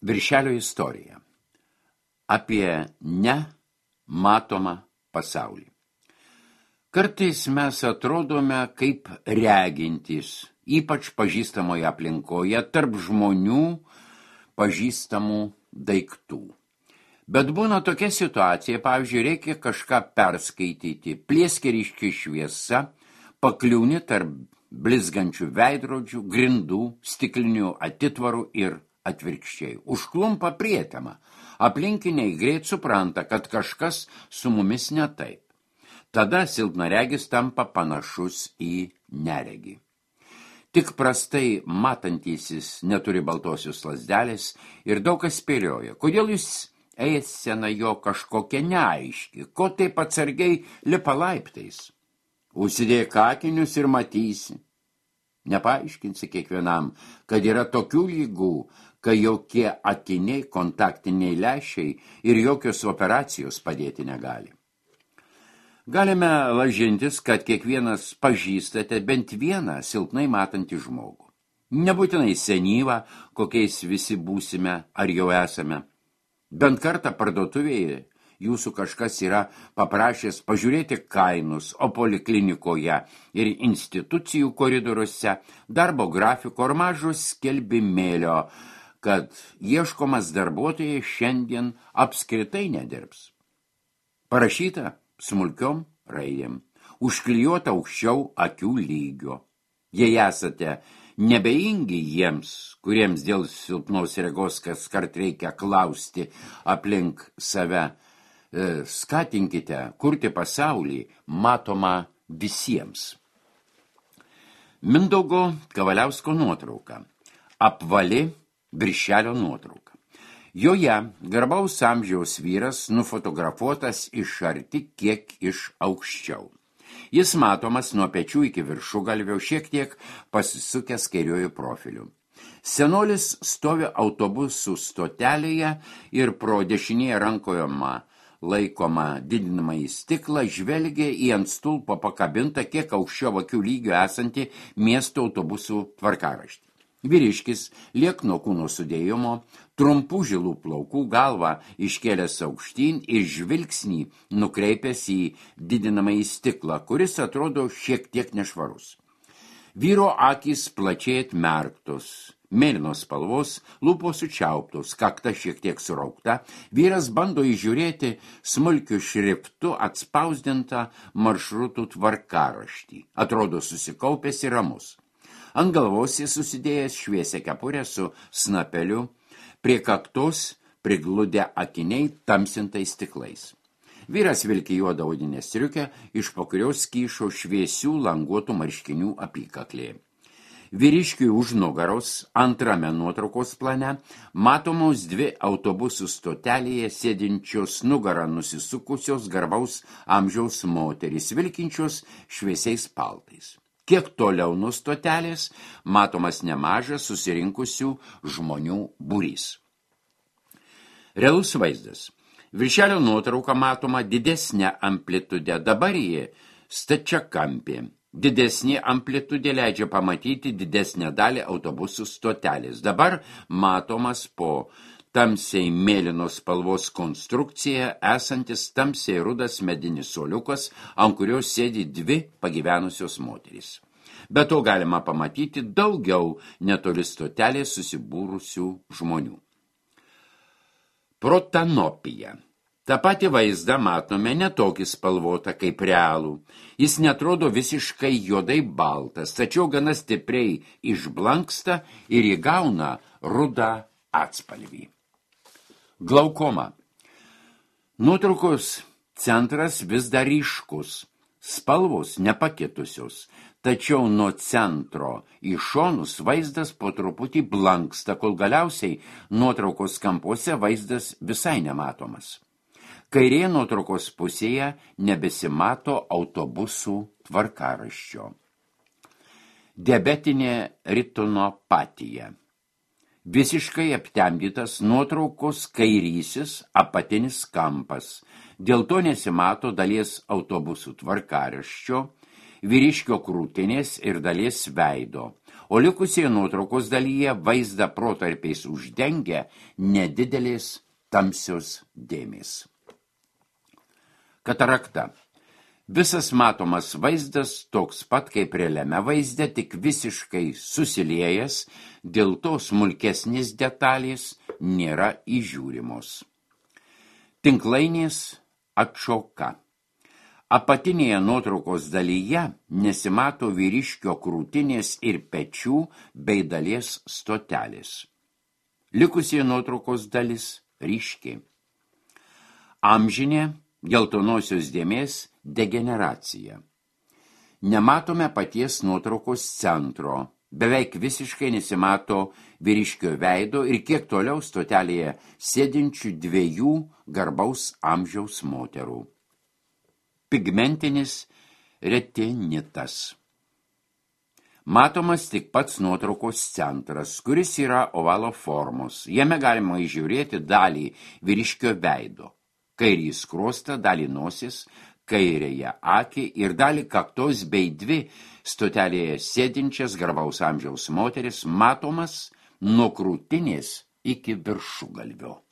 Viršelio istorija apie nematomą pasaulį. Kartais mes atrodome kaip regintys, ypač pažįstamoje aplinkoje, tarp žmonių pažįstamų daiktų. Bet būna tokia situacija, pavyzdžiui, reikia kažką perskaityti, plieskeriški šviesa, pakliūni tarp blizgančių veidrodžių, grindų, stiklinių atitvarų ir atvirkščiai. Užklumpa prietema. Aplinkiniai greit supranta, kad kažkas su mumis ne taip. Tada silpnaregis tampa panašus į neregį. Tik prastai matantysis neturi baltosios lazdelės ir daug kas spėlioja. Kodėl jūs eisena jo kažkokia neaiški, ko taip atsargiai lipa laiptais? Užsidėk akinius ir matysi. Nepaaiškinsi kiekvienam, kad yra tokių lygų, kai jokie akiniai, kontaktiniai lęšiai ir jokios operacijos padėti negali. Galime lažintis, kad kiekvienas pažįstate bent vieną silpnai matantį žmogų. Nebūtinai senyvą, kokiais visi būsime ar jau esame. Bent kartą parduotuvėje jūsų kažkas yra paprašęs pažiūrėti kainus, o poliklinikoje ir institucijų koridoriuose darbo grafiko ar mažo skelbimėlio, kad ieškomas darbuotojai šiandien apskritai nedirbs. Parašyta smulkiom raidėm, užklijuota aukščiau akių lygio. Jei esate nebeingi jiems, kuriems dėl silpnos regos kaskart reikia klausti aplink save, skatinkite kurti pasaulį matomą visiems. Mindaugo Kavaliausko nuotrauka. Apvali viršelio nuotrauka. Joje garbaus amžiaus vyras nufotografuotas iš arti kiek iš aukščiau. Jis matomas nuo pečių iki viršugalvio, šiek tiek pasisukęs kairiuoju profiliu. Senolis stovi autobusų stotelėje ir pro dešinėje rankoje laikoma didinamąjį stiklą žvelgia į ant stulpo pakabintą kiek aukščiau akių lygio esantį miesto autobusų tvarkaraštį. Vyriškis liekno kūno sudėjimo, trumpų žilų plaukų, galvą iškėlęs aukštyn ir žvilgsnį nukreipęs į didinamąjį stiklą, kuris atrodo šiek tiek nešvarus. Vyro akys plačiai atmerktos, mėlynos spalvos, lūpos sučiauptos, kakta šiek tiek suraukta. Vyras bando įžiūrėti smulkiu šriftu atspausdintą maršrutų tvarkaraštį. Atrodo susikaupęs ir ramus. Ant galvos jis susidėjęs šviesią kepurę su snapeliu, prie kaktos prigludę akiniai tamsintais stiklais. Vyras vilki juodą odinę striukę, iš po kurios kyšo šviesių languotų marškinių apykaklė. Vyriškiui už nugaros antrame nuotraukos plane matomos dvi autobusų stotelėje sėdinčios nugarą nusisukusios garbaus amžiaus moterys, vilkinčios šviesiais paltais. Kiek toliau nuo stotelės matomas nemažas susirinkusių žmonių būrys. Realus vaizdas. Viršelio nuotrauka matoma didesnė amplitude, dabar ji stačiakampė. Didesnė amplitudė leidžia pamatyti didesnę dalį autobusų stotelės. Dabar matomas po tamsiai mėlynos spalvos konstrukcija esantis tamsiai rudas medinis suoliukas, ant kurios sėdi dvi pagyvenusios moterys. Be to galima pamatyti daugiau netoli stotelės susibūrusių žmonių. Protanopija. Ta pati vaizdą matome netokį spalvotą kaip realų. Jis netrodo visiškai juodai baltas, tačiau gana stipriai išblanksta ir įgauna rudą atspalvį. Glaukoma. Nuotraukos centras vis dar ryškus, spalvos nepakitusios, tačiau nuo centro į šonus vaizdas po truputį blanksta, kol galiausiai nuotraukos kampuose vaizdas visai nematomas. Kairėje nuotraukos pusėje nebesimato autobusų tvarkaraščio. Diabetinė retinopatija. Visiškai aptemdytas nuotraukos kairysis apatinis kampas. Dėl to nesimato dalies autobusų tvarkaraščio, vyriškio krūtinės ir dalies veido, o likusioje nuotraukos dalyje vaizdą protarpiais uždengia nedidelės tamsios dėmės. Katarakta. Visas matomas vaizdas toks pat kaip realiame vaizde, tik visiškai susiliejęs, dėl to smulkesnės detalės nėra įžiūrimos. Tinklainės atšoka. Apatinėje nuotraukos dalyje nesimato vyriškio krūtinės ir pečių bei dalies stotelės. Likusie nuotraukos dalis ryški. Amžinė geltonosios dėmės degeneracija. Nematome paties nuotraukos centro, beveik visiškai nesimato vyriškio veido ir kiek toliau stotelėje sėdinčių dviejų garbaus amžiaus moterų. Pigmentinis retinitas. Matomas tik pats nuotraukos centras, kuris yra ovalo formos. Jame galima įžiūrėti dalį vyriškio veido, kairį skruostą, dalį nosis, kairėje akį ir dalį kaktos bei dvi stotelėje sėdinčias garbaus amžiaus moteris matomas nuo krūtinės iki viršugalvio.